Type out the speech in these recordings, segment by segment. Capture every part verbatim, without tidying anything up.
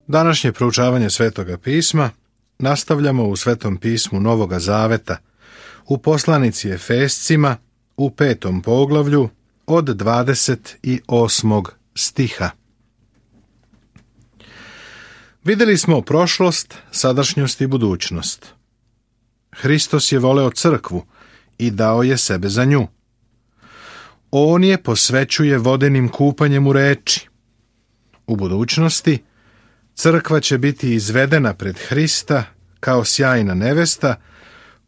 Današnje proučavanje Svetoga pisma nastavljamo u Svetom pismu Novoga Zaveta, u poslanici Efescima, u petom poglavlju, od dvadeset osmog stiha. Vidjeli smo prošlost, sadašnjost i budućnost. Hristos je voleo crkvu i dao je sebe za nju. On je posvećuje vodenim kupanjem u reči. U budućnosti crkva će biti izvedena pred Hrista kao sjajna nevesta,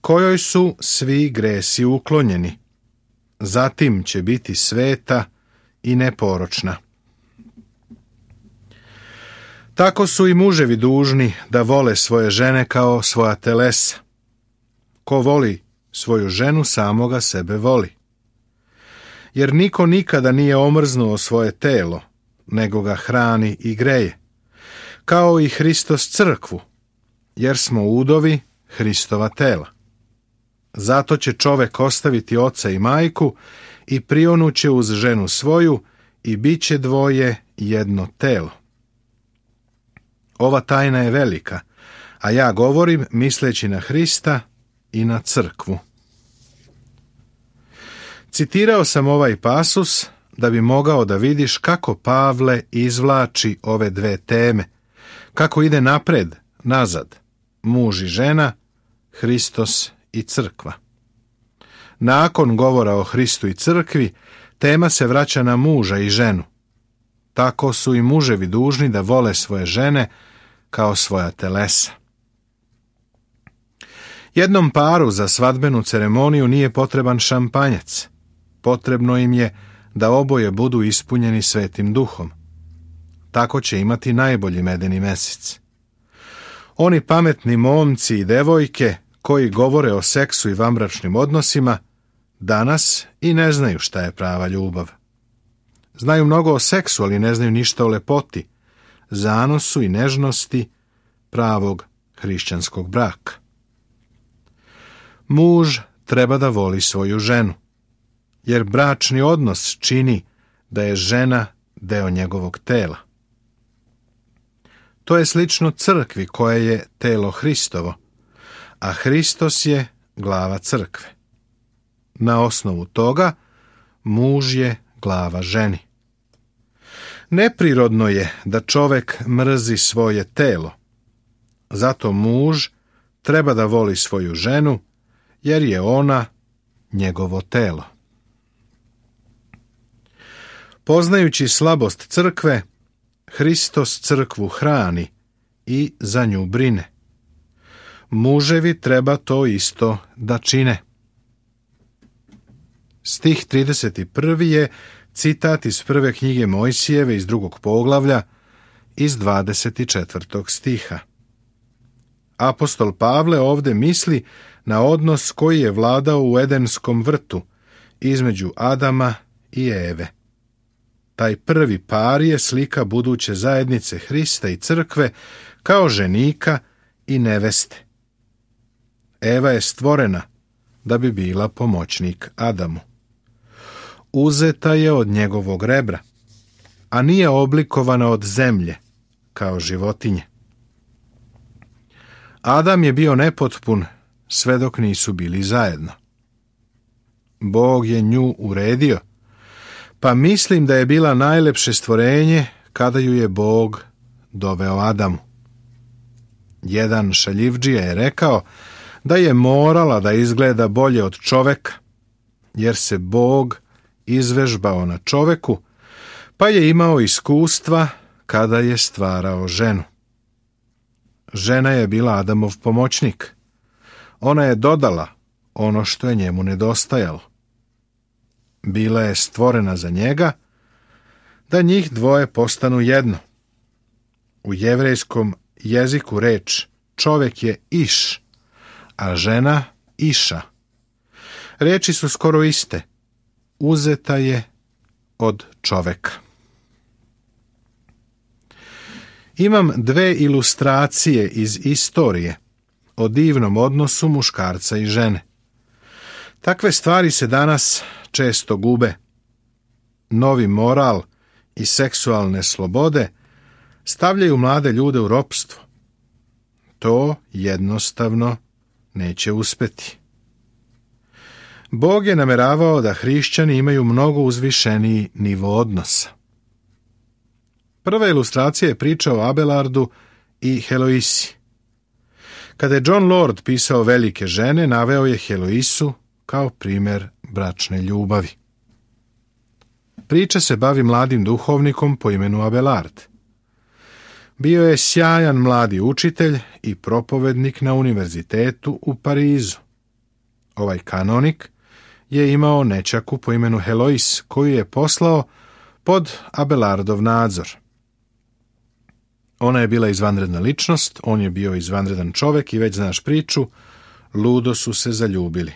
kojoj su svi gresi uklonjeni. Zatim će biti sveta i neporočna. Tako su i muževi dužni da vole svoje žene kao svoja telesa. Ko voli svoju ženu, samoga sebe voli. Jer niko nikada nije omrznuo svoje telo, nego ga hrani i greje, kao i Hristos crkvu, jer smo udovi Hristova tela. Zato će čovek ostaviti oca i majku i prionuće uz ženu svoju i bit će dvoje jedno telo. Ova tajna je velika, a ja govorim misleći na Hrista i na crkvu. Citirao sam ovaj pasus da bi mogao da vidiš kako Pavle izvlači ove dve teme, kako ide napred, nazad, muž i žena, Hristos i crkva. Nakon govora o Hristu i crkvi, tema se vraća na muža i ženu. Tako su i muževi dužni da vole svoje žene kao svoja telesa. Jednom paru za svadbenu ceremoniju nije potreban šampanjac. Potrebno im je da oboje budu ispunjeni Svetim Duhom. Tako će imati najbolji medeni mesec. Oni pametni momci i devojke koji govore o seksu i vanbračnim odnosima danas i ne znaju šta je prava ljubav. Znaju mnogo o seksu, ali ne znaju ništa o lepoti, zanosu i nežnosti pravog hrišćanskog braka. Muž treba da voli svoju ženu, jer bračni odnos čini da je žena deo njegovog tela. To je slično crkvi koja je telo Hristovo, a Hristos je glava crkve. Na osnovu toga muž je glava ženi. Neprirodno je da čovek mrzi svoje telo. Zato muž treba da voli svoju ženu, jer je ona njegovo telo. Poznajući slabost crkve, Hristos crkvu hrani i za nju brine. Muževi treba to isto da čine. Stih trideset prvi je citat iz prve knjige Mojsijeve iz drugog poglavlja iz dvadeset četvrtog stiha. Apostol Pavle ovde misli na odnos koji je vladao u Edenskom vrtu između Adama i Eve. Taj prvi par je slika buduće zajednice Hrista i crkve kao ženika i neveste. Eva je stvorena da bi bila pomoćnik Adamu. Uzeta je od njegovog rebra, a nije oblikovana od zemlje kao životinje. Adam je bio nepotpun sve dok nisu bili zajedno. Bog je nju uredio, pa mislim da je bila najlepše stvorenje kada ju je Bog doveo Adamu. Jedan šaljivdžija je rekao da je morala da izgleda bolje od čoveka, jer se Bog izvežbao na čoveku, pa je imao iskustva kada je stvarao ženu. Žena je bila Adamov pomoćnik. Ona je dodala ono što je njemu nedostajalo. Bila je stvorena za njega, da njih dvoje postanu jedno. U jevrejskom jeziku reč čovek je iš, a žena iša. Reči su skoro iste. Uzeta je od čoveka. Imam dve ilustracije iz istorije o divnom odnosu muškarca i žene. Takve stvari se danas često gube. Novi moral i seksualne slobode stavljaju mlade ljude u ropstvo. To jednostavno neće uspeti. Bog je nameravao da hrišćani imaju mnogo uzvišeniji nivo odnosa. Prva ilustracija je priča o Abelardu i Heloisi. Kada je John Lord pisao Velike žene, naveo je Heloisu kao primjer bračne ljubavi. Priča se bavi mladim duhovnikom po imenu Abelard. Bio je sjajan mladi učitelj i propovednik na univerzitetu u Parizu. Ovaj kanonik je imao nećaku po imenu Helois, koju je poslao pod Abelardov nadzor. Ona je bila izvanredna ličnost, on je bio izvanredan čovek i već znaš priču, ludo su se zaljubili.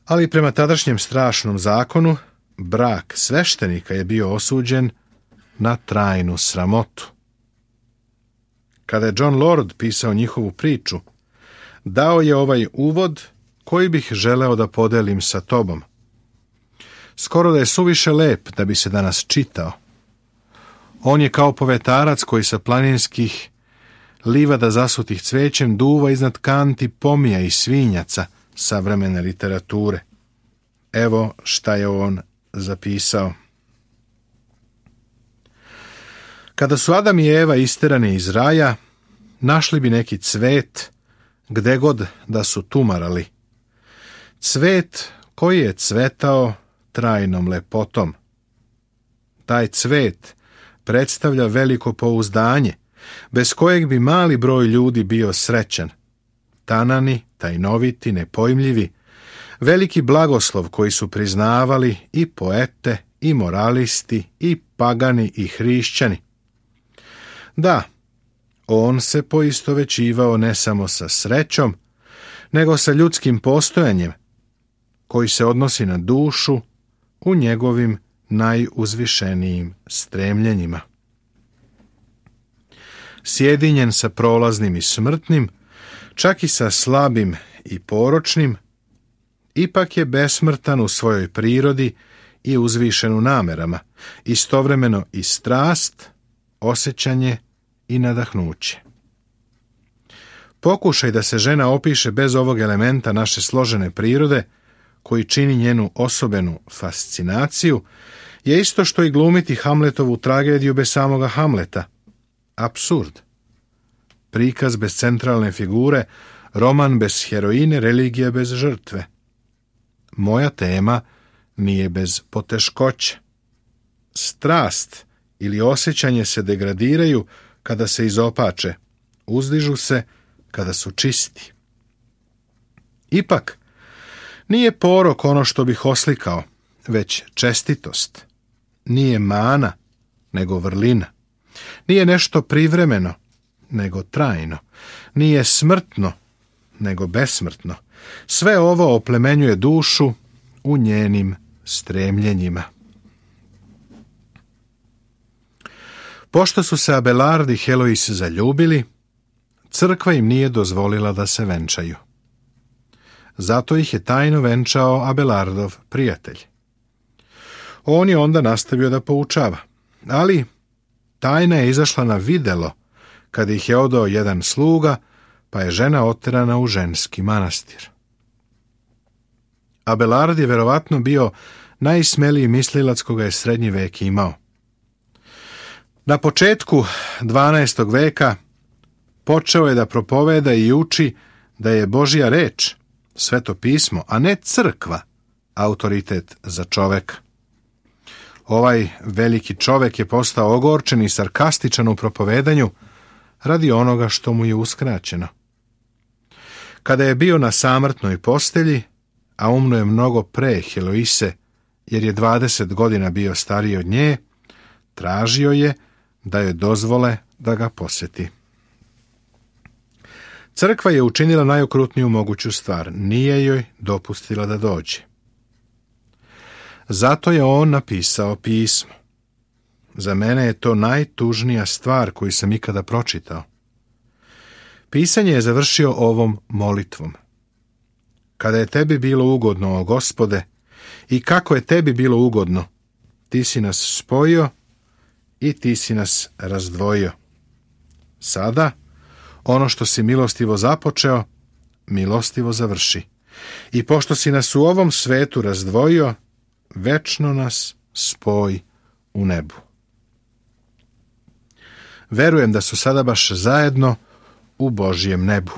Ali prema tadašnjem strašnom zakonu, brak sveštenika je bio osuđen na trajnu sramotu. Kada je John Lord pisao njihovu priču, dao je ovaj uvod koji bih želeo da podelim sa tobom. Skoro da je suviše lep da bi se danas čitao. On je kao povetarac koji sa planinskih livada zasutih cvećem duva iznad kanti pomija i svinjaca savremene literature. Evo šta je on zapisao. Kada su Adam i Eva isterani iz raja, našli bi neki cvet, gde god da su tumarali. Cvet koji je cvetao trajnom lepotom. Taj cvet predstavlja veliko pouzdanje, bez kojeg bi mali broj ljudi bio srećan. Tanani, tajnoviti, nepojmljivi, veliki blagoslov koji su priznavali i poete, i moralisti, i pagani, i hrišćani. Da, on se poistovećivao ne samo sa srećom, nego sa ljudskim postojanjem, koji se odnosi na dušu u njegovim najuzvišenijim stremljenjima. Sjedinjen sa prolaznim i smrtnim, čak i sa slabim i poročnim, ipak je besmrtan u svojoj prirodi i uzvišen u namerama, istovremeno i strast, osjećanje i nadahnuće. Pokušaj da se žena opiše bez ovog elementa naše složene prirode, koji čini njenu osobenu fascinaciju, je isto što i glumiti Hamletovu tragediju bez samoga Hamleta. Apsurd. Prikaz bez centralne figure, roman bez heroine, religija bez žrtve. Moja tema nije bez poteškoća. Strast ili osjećanje se degradiraju kada se izopače, uzdižu se kada su čisti. Ipak, nije porok ono što bih oslikao, već čestitost. Nije mana, nego vrlina. Nije nešto privremeno, nego trajno. Nije smrtno, nego besmrtno. Sve ovo oplemenjuje dušu u njenim stremljenjima. Pošto su se Abelard i Helois zaljubili, crkva im nije dozvolila da se venčaju. Zato ih je tajno venčao Abelardov prijatelj. On je onda nastavio da poučava, ali tajna je izašla na videlo kad ih je odao jedan sluga, pa je žena oterana u ženski manastir. Abelard je verovatno bio najsmeliji mislilac koga je srednji vek imao. Na početku dvanaestog veka počeo je da propoveda i uči da je Božja reč, Sveto pismo, a ne crkva, autoritet za čoveka. Ovaj veliki čovek je postao ogorčen i sarkastičan u propovedanju radi onoga što mu je uskraćeno. Kada je bio na samrtnoj postelji, a umno je mnogo pre Heloise, jer je dvadeset godina bio stariji od nje, tražio je da joj dozvole da ga poseti. Crkva je učinila najokrutniju moguću stvar, nije joj dopustila da dođe. Zato je on napisao pismo. Za mene je to najtužnija stvar koju sam ikada pročitao. Pisanje je završio ovom molitvom. Kada je tebi bilo ugodno, o Gospode, i kako je tebi bilo ugodno, ti si nas spojio i ti si nas razdvojio. Sada, ono što si milostivo započeo, milostivo završi. I pošto si nas u ovom svetu razdvojio, večno nas spoj u nebu. Verujem da su sada baš zajedno u Božjem nebu.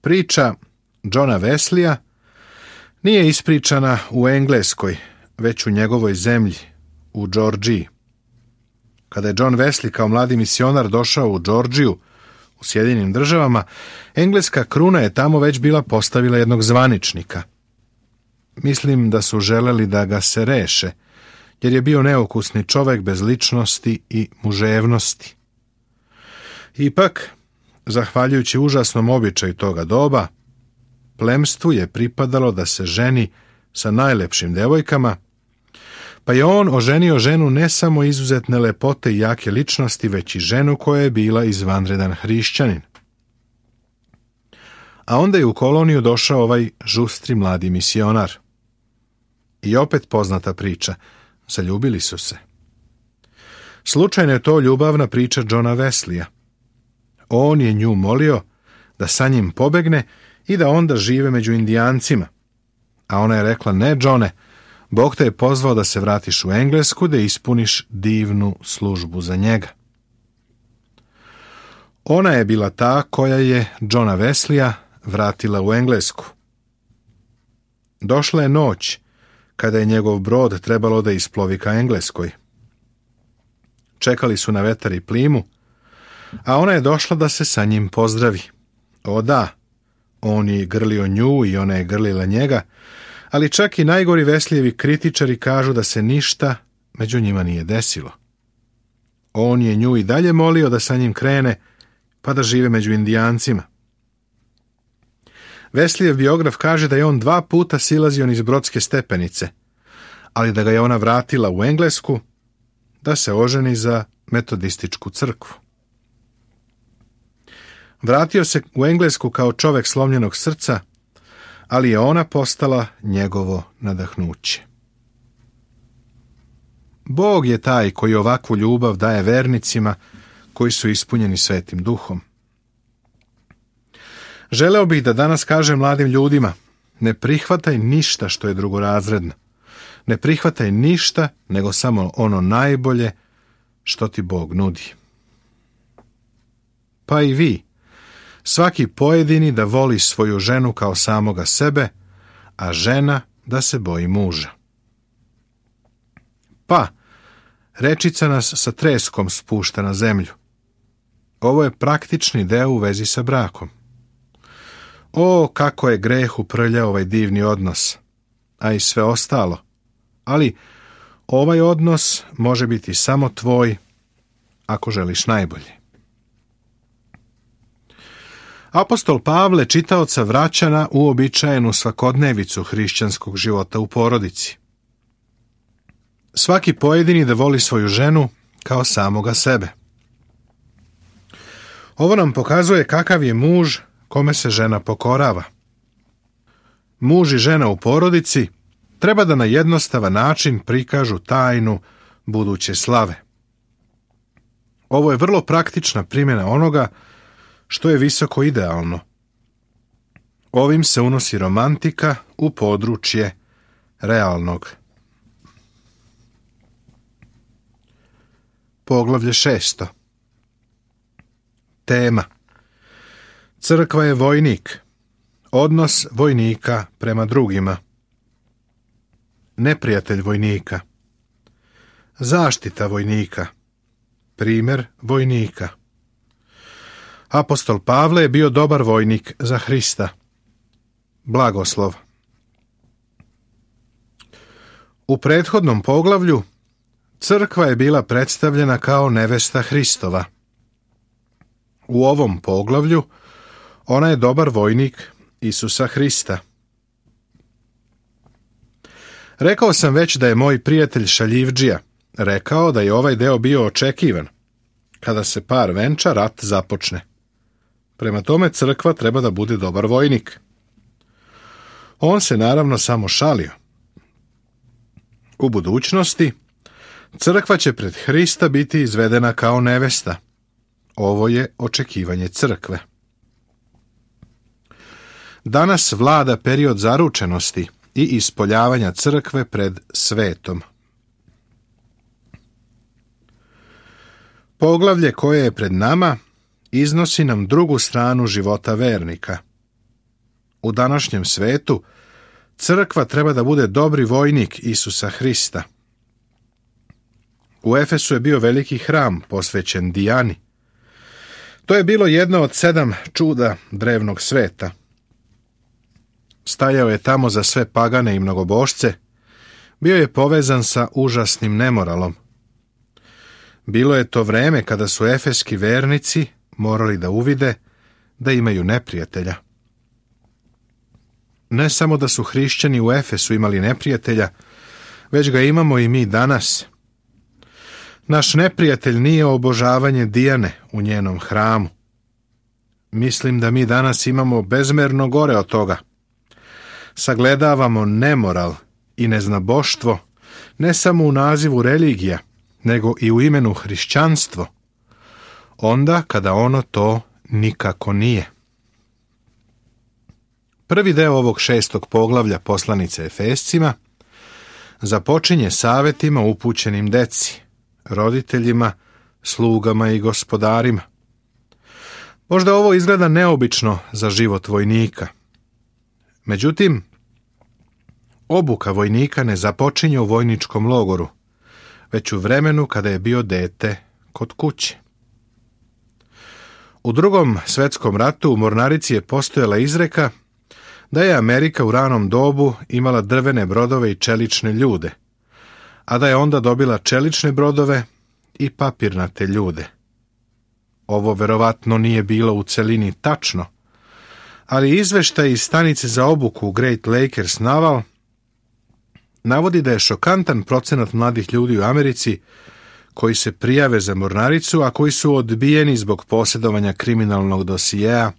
Priča Johna Wesleya nije ispričana u Engleskoj, već u njegovoj zemlji, u Džordžiji. Kada je John Wesley kao mladi misionar došao u Džordžiju, u Sjedinjenim državama, engleska kruna je tamo već bila postavila jednog zvaničnika. Mislim da su želeli da ga se reše, jer je bio neukusni čovek bez ličnosti i muževnosti. Ipak, zahvaljujući užasnom običaju toga doba, plemstvu je pripadalo da se ženi sa najlepšim devojkama, pa je on oženio ženu ne samo izuzetne lepote i jake ličnosti, već i ženu koja je bila izvanredan hrišćanin. A onda je u koloniju došao ovaj žustri mladi misionar. I opet poznata priča, zaljubili su se. Slučajno je to ljubavna priča Johna Wesleya. On je nju molio da sa njim pobegne i da onda žive među Indijancima. A ona je rekla, ne, Johne, Bog te je pozvao da se vratiš u Englesku, da ispuniš divnu službu za njega. Ona je bila ta koja je Johna Wesleya vratila u Englesku. Došla je noć, kada je njegov brod trebalo da isplovi ka Engleskoj. Čekali su na vetar i plimu, a ona je došla da se sa njim pozdravi. O da, on je grlio nju i ona je grlila njega, ali čak i najgori Wesleyevi kritičari kažu da se ništa među njima nije desilo. On je nju i dalje molio da sa njim krene, pa da žive među Indijancima. Wesleyev biograf kaže da je on dva puta silazio niz brodske stepenice, ali da ga je ona vratila u Englesku da se oženi za metodističku crkvu. Vratio se u Englesku kao čovek slomljenog srca, ali je ona postala njegovo nadahnuće. Bog je taj koji ovakvu ljubav daje vernicima koji su ispunjeni Svetim Duhom. Želeo bih da danas kažem mladim ljudima, ne prihvataj ništa što je drugorazredno. Ne prihvataj ništa, nego samo ono najbolje što ti Bog nudi. Pa i vi, svaki pojedini da voli svoju ženu kao samoga sebe, a žena da se boji muža. Pa, rečica nas sa treskom spušta na zemlju. Ovo je praktični deo u vezi sa brakom. O, kako je greh uprljao ovaj divni odnos, a i sve ostalo. Ali ovaj odnos može biti samo tvoj ako želiš najbolje. Apostol Pavle čitaoca vraća na uobičajenu svakodnevicu hrišćanskog života u porodici. Svaki pojedini da voli svoju ženu kao samoga sebe. Ovo nam pokazuje kakav je muž kome se žena pokorava. Muž i žena u porodici treba da na jednostavan način prikažu tajnu buduće slave. Ovo je vrlo praktična primjena onoga što je visoko idealno. Ovim se unosi romantika u područje realnog. Poglavlje šesto. Tema. Crkva je vojnik. Odnos vojnika prema drugima. Neprijatelj vojnika. Zaštita vojnika. Primjer vojnika. Apostol Pavle je bio dobar vojnik za Hrista. Blagoslov. U prethodnom poglavlju crkva je bila predstavljena kao nevesta Hristova. U ovom poglavlju ona je dobar vojnik Isusa Hrista. Rekao sam već da je moj prijatelj Šaljivdžija rekao da je ovaj deo bio očekivan. Kada se par venča, rat započne. Prema tome crkva treba da bude dobar vojnik. On se naravno samo šalio. U budućnosti Crkva će pred Hrista biti izvedena kao nevesta. Ovo je očekivanje crkve. Danas vlada period zaručenosti i ispoljavanja crkve pred svetom. Poglavlje koje je pred nama iznosi nam drugu stranu života vernika. U današnjem svetu crkva treba da bude dobri vojnik Isusa Hrista. U Efesu je bio veliki hram posvećen Dijani. To je bilo jedno od sedam čuda drevnog sveta. Stajao je tamo za sve pagane i mnogobošce, bio je povezan sa užasnim nemoralom. Bilo je to vreme kada su efeski vernici morali da uvide da imaju neprijatelja. Ne samo da su hrišćani u Efesu imali neprijatelja, već ga imamo i mi danas. Naš neprijatelj nije obožavanje Dijane u njenom hramu. Mislim da mi danas imamo bezmerno gore od toga. Sagledavamo nemoral i neznaboštvo ne samo u nazivu religija, nego i u imenu hrišćanstvo, onda kada ono to nikako nije. Prvi deo ovog šestog poglavlja poslanice Efescima započinje savetima upućenim deci, roditeljima, slugama i gospodarima. Možda ovo izgleda neobično za život vojnika. Međutim, obuka vojnika ne započinje u vojničkom logoru, već u vremenu kada je bio dete kod kuće. U Drugom svetskom ratu u mornarici je postojala izreka da je Amerika u ranom dobu imala drvene brodove i čelične ljude, a da je onda dobila čelične brodove i papirnate ljude. Ovo verovatno nije bilo u celini tačno, ali izveštaj iz stanice za obuku Great Lakers Naval navodi da je šokantan procenat mladih ljudi u Americi koji se prijave za mornaricu, a koji su odbijeni zbog posjedovanja kriminalnog dosijeja,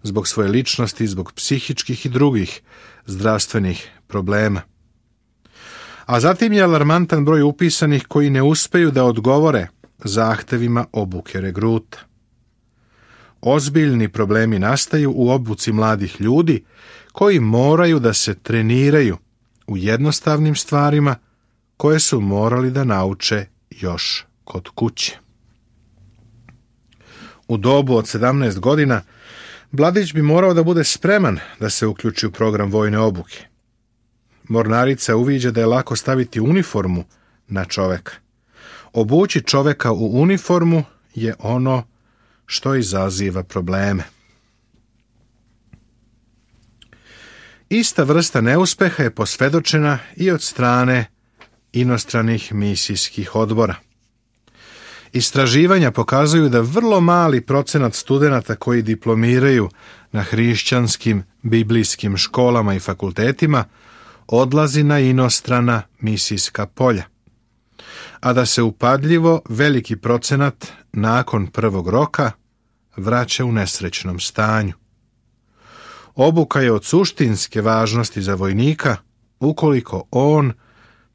zbog svoje ličnosti, zbog psihičkih i drugih zdravstvenih problema. A zatim je alarmantan broj upisanih koji ne uspeju da odgovore zahtevima obuke regruta. Ozbiljni problemi nastaju u obuci mladih ljudi koji moraju da se treniraju u jednostavnim stvarima koje su morali da nauče još kod kuće. U dobu od sedamnaest godina mladić bi morao da bude spreman da se uključi u program vojne obuke. Mornarica uviđa da je lako staviti uniformu na čoveka. Obući čoveka u uniformu je ono što izaziva probleme. Ista vrsta neuspeha je posvedočena i od strane inostranih misijskih odbora. Istraživanja pokazuju da vrlo mali procenat studenata koji diplomiraju na hrišćanskim biblijskim školama i fakultetima odlazi na inostrana misijska polja, a da se upadljivo veliki procenat nakon prvog roka vraća u nesrećnom stanju. Obuka je od suštinske važnosti za vojnika ukoliko on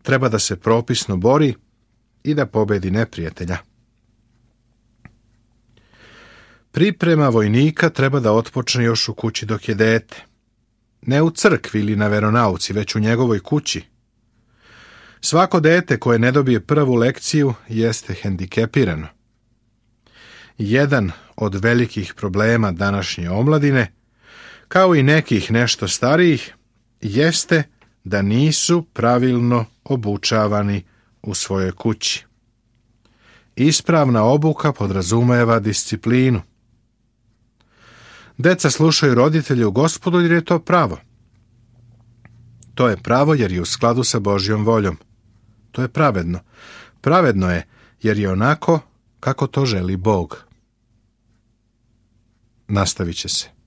treba da se propisno bori i da pobedi neprijatelja. Priprema vojnika treba da otpočne još u kući dok je dete. Ne u crkvi ili na veronauci, već u njegovoj kući. Svako dete koje ne dobije prvu lekciju jeste hendikepirano. Jedan od velikih problema današnje omladine, kao i nekih nešto starijih, jeste da nisu pravilno obučavani u svojoj kući. Ispravna obuka podrazumeva disciplinu. Deca slušaju roditelje u Gospodu jer je to pravo. To je pravo jer je u skladu sa Božjom voljom. To je pravedno. Pravedno je jer je onako kako to želi Bog. Nastavit će se.